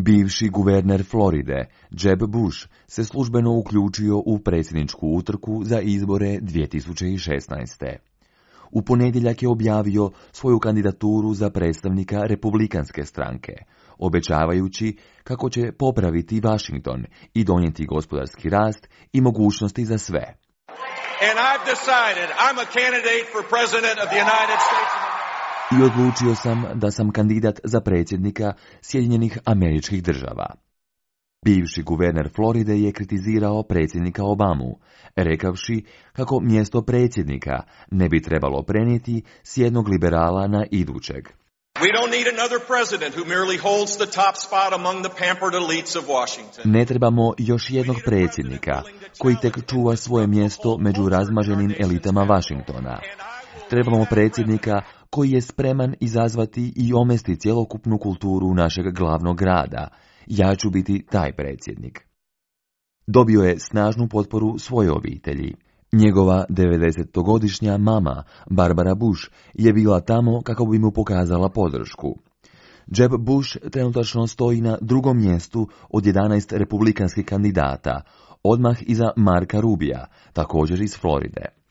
Bivši guverner Floride, Jeb Bush, se službeno uključio u predsjedničku utrku za izbore 2016. U ponedjeljak je objavio svoju kandidaturu za predstavnika Republikanske stranke, obećavajući kako će popraviti Washington i donijeti gospodarski rast i mogućnosti za sve. And I've decided I'm a candidate for president of the United States of America. I odlučio sam da sam kandidat za predsjednika Sjedinjenih Američkih Država. Bivši guverner Floride je kritizirao predsjednika Obamu, rekavši kako mjesto predsjednika ne bi trebalo prenijeti s jednog liberala na idućeg. We don't need another president who merely holds the top spot among the pampered elites of Washington. Ne trebamo još jednog predsjednika koji tek čuva svoje mjesto među razmaženim elitama Washingtona. Trebamo predsjednika koji je spreman izazvati i omesti cjelokupnu kulturu našeg glavnog grada. Ja ću biti taj predsjednik. Dobio je snažnu potporu svoje obitelji. Njegova 90-godišnja mama, Barbara Bush, je bila tamo kako bi mu pokazala podršku. Jeb Bush trenutačno stoji na drugom mjestu od 11 republikanskih kandidata, odmah iza Marka Rubija, također iz Floride.